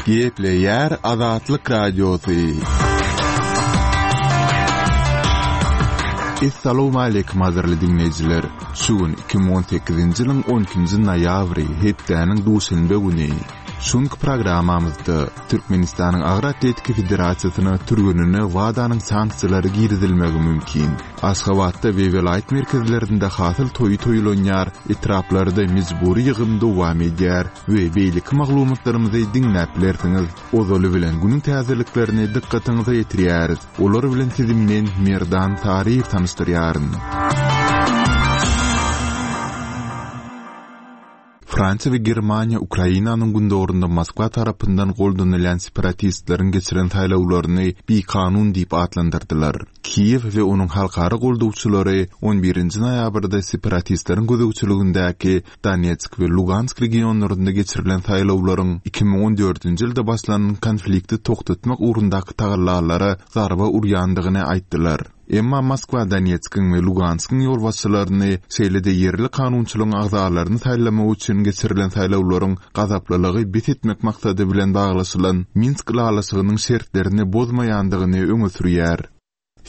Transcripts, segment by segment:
Gepleýär Azatlyk Radiosy. Essalawmaleýkim gadyrly diňleýjiler! Şu gün 2018-nji ýylyň 12-nji noýabry, hepdäniň duşenbe güni. Şu günki programmamyzda Türkmenistanyň Agyr atletika federasiýasyna türgenine WADA-nyň sanksiýalary girizilmegi mümkin. Aşgabatda we welaýat merkezlerinde hasyl toýy toýlanýar, etraplarda mejbury ýygym dowam edýär we beýleki maglumatlarymyzy diňläp bilersiňiz. Ozaly bilen günüň täzeliklerini dykgatyňyza ýetirýäris. Olar bilen sizi men, Merdan Saryýew tanyşdyrýaryn. Fransiýa we Germaniýa Ukrainanyň gündogarynda Moskwa tarapyndan goldanylýan separatistleriň geçiren saýlawlaryny bikanun diýip atlandyrdylar. Kiýew we onuň halkara goldawçylary on birinji noýabrda separatistleriň gözegçiligindäki Donetsk we Lugansk regionlarynda geçirilen saýlawlaryň 2014-nji ýylda başlanan konflikti togtatmak ugrundaky tagallalara zarba urýandygyny aýtdylar. Emma Moskwa Donetskiň we Luganskyň ýolbaşçylaryny, şeýle-de ýerli kanunçylygyň agzalaryny saýlamak üçin geçirilen saýlawlaryň gazaplylygy bes etmek maksady bilen baglaşylan Minsk ylalaşygynyň şertlerini bozmaýandygyny öňe sürýär.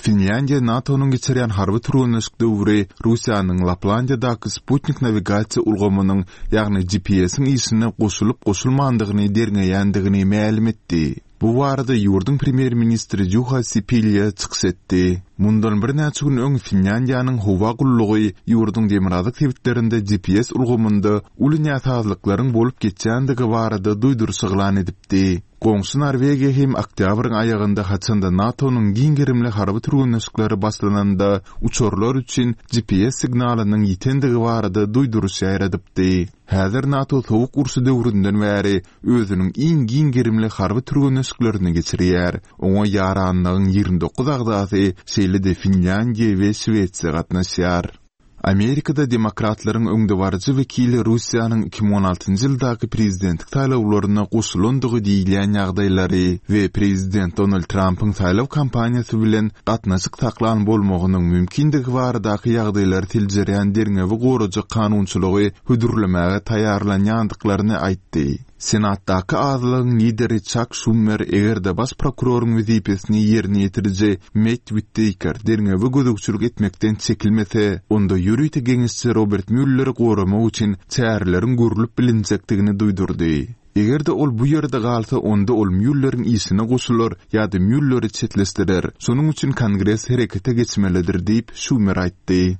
Finlýandiýa NATO-nyň geçirýän harby türgenleşik döwri Russiýanyň Laplandiýadaky sputnik nawigasiýa ulgamynyň, ýagny GPS-iň işine goşulyp-goşulmandygyny derňeýändigini mälim etdi. Bu barada ýurduň premýer-ministri Juha Sipilýa çykyş etdi. Mundan birnäçe gün öň Finlýandiýanyň howa gullugy ýurduň demirgazyk sebitlerinde GPS ulgamynda uly näsazlyklaryň bolup geçýändigi barada duýduryş yglan edipdi. Goňşy Norwegiýa hem oktýabryň aýagynda haçanda NATO-nyň giň gerimli harby türgenleşikleri başlananda uçarlar üçin GPS signalynyň ýitendigi barada duýduryş ýaýradypdy. Häzir NATO Sowuk urşy döwründen bäri özüniň iň giň gerimli harby türgenleşiklerini geçirýär. Oňa ýaranlygyň 29 agzasy, şeýle-de Finlýandiýa we Şwesiýa gatnaşýar. Amerikada demokratlaryň öňdebaryjy wekili Russiýanyň 2016-njy ýyldaky prezidentlik saýlawlaryna goşulandygy diýilýän ýagdaýlary we prezident Donald Trampyň saýlaw kampaniýasy bilen gatnaşyk saklan bolmagynyň mümkindigi baradaky ýagdaýlary seljerýän derňewi gorajak kanunçylygy hödürlemäge taýýarlanýandyklaryny aýtdy. Senatdaky azlygyň lideri Çak Şumer eger-de baş prokuroryň wezipesini ýerine ýetiriji Mett Witteýker derňewe gözegçilik etmekden çekilmese, onda ýörite geňeşçi Robert Mülleri goramak üçin çäreleriň görlüp bilinjekdigini duýdurdy. Eger-de ol bu ýerde galsa, onda ol Mýulleriň işine goşular ýa-da Mýulleri çetleşdirer. Şonuň üçin Kongres herekete geçmelidir diýip, Şumer aýtdy.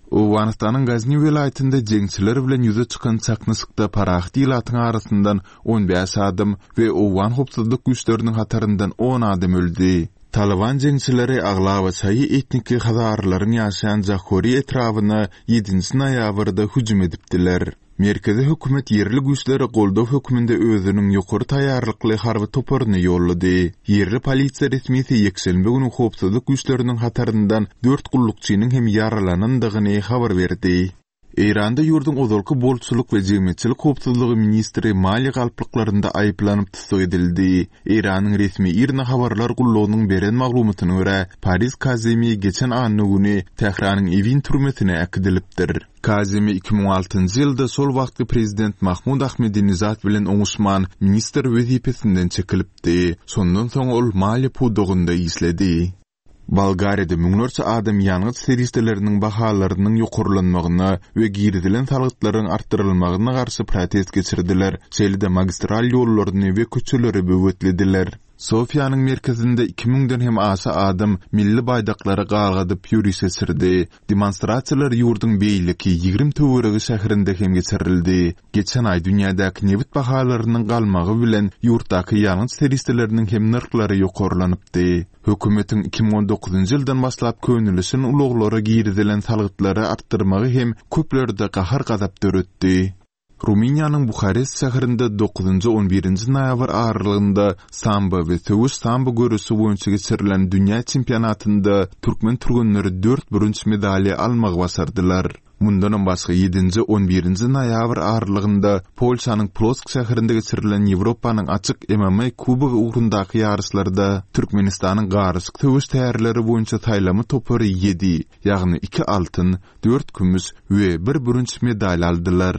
Owganystanyň Gazni welaýatynda jeňçiler bilen ýüze çykan çaknyşykda parahat ilatyň arasyndan 15 adam we owgan howpsuzlyk güýçleriniň hataryndan on adam öldi. Talyban jeňçileri aglaba şaýy etniki hazarylaryň ýaşaýan Jahori etrabyna ýedinji noýabrda hüjüm edipdiler. Merkezi hökümet ýerli güýçlere goldaw hökmünde özüniň ýokary taýýarlykly harby toparyny ýollady. Ýerli polisiýa resmisi ýekşenbe güni howpsuzlyk güýçleriniň hataryndan dört gullukçynyň hem ýaralanandygyny habar berdi. Eýranda ýurduň ozalky bolçulyk we jemgyýetçilik howpsuzlygy ministri maliýe galplyklarynda aýyplanyp tussag edildi. Eýranyň resmi IRNA habarlar gullugynyň beren maglumatyna görä, Pariz Kazemi geçen anna güni Tähranyň Ewin türmesine äkidilipdir. Kazemi 2006-njy ýylda şol wagtky prezident Mahmud Ahmedinejad bilen oňuşman, ministr wezipesinden çekilipdi. Şondan soň ol maliýe pudagynda işledi. Bolgariýada müňlerçe adam ýangyç serişdeleriniň bahalarynyň ýokarlanmagyna we girizilen salgytlaryň artdyrylmagyna garşy protest geçirdiler, şeýle-de magistral ýollaryny we köçeleri böwetlediler. Sofiýanyň merkezinde iki müňden hem aşa adam milli baýdaklary galgadyp ýöriş geçirdi. Demonstrasiýalar ýurduň beýleki 20 töweregi şäherinde hem geçirildi. Geçen aý dünýädäki nebit bahalarynyň galmagy bilen ýurtdaky ýangyç serişdeleriniň hem nyrhlary ýokarlanypdy. Hökümetiň 2019-njy ýyldan başlap könelişen ulaglara girizilen salgytlary artdyrmagy hem köplerde gahar-gazap döretdi. Rumyniýanyň Buharest şäherinde dokuzynjy-on birinji noýabr aralygynda sambo we söweş sambo göreşi boýunça geçirilen dünýä çempionatynda türkmen türgenleri dört bürünç medaliýa almagy başardylar. Mundanam başga ýedinji-on birinji noýabr aralygynda Polşanyň Plosk şäherinde geçirilen Ýewropanyň açyk MMA kubogy ugrundaky ýaryşlarda Türkmenistanyň garyşyk söweş tärleri boýunça saýlama topary ýedi, ýagny iki altyn, dört kümüş we bir bürünç medal aldylar.